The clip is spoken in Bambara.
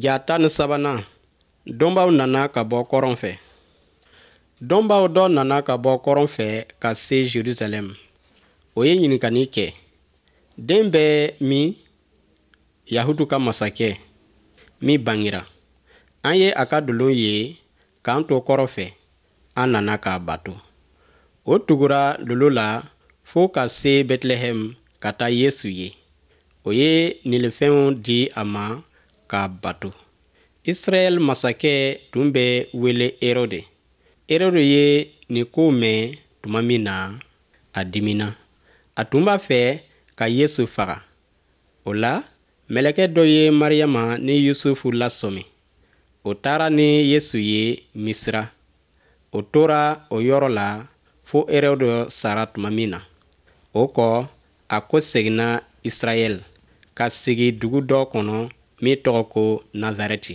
Ja 13nan, dɔnbaaw nana ka bɔ kɔrɔn fɛ. Dɔnbaaw dɔ nana ka bɔ kɔrɔn fɛ ka se Jerusalɛm. O ye ɲininkali kɛ: Den bɛ min, Yahutu ka masakɛ, min bangera? An ye a ka dolo ye k'an to kɔrɔn fɛ, an nana k'a bato. O tugura dolo la fo ka se Bɛtilɛhɛm ka taa Yesu ye. O ye nilifɛnw di a ma k'a bato. Israɛl masakɛ tun bɛ wele Erɔde. Erɔde ye nin kow mɛn tuma min na, a diminna. A tun b'a fɛ ka Yesu faga. O la, mɛlɛkɛ dɔ ye Mariyama ni Yusufu lasɔmi. O taara ni Yesu ye Misira. O tora o yɔrɔ la fo Erɔde sara tuma min na. O kɔ, a kɔseginna Israɛl, ka sigi dugu dɔ kɔnɔ min tɔgɔ ko Nazarɛti.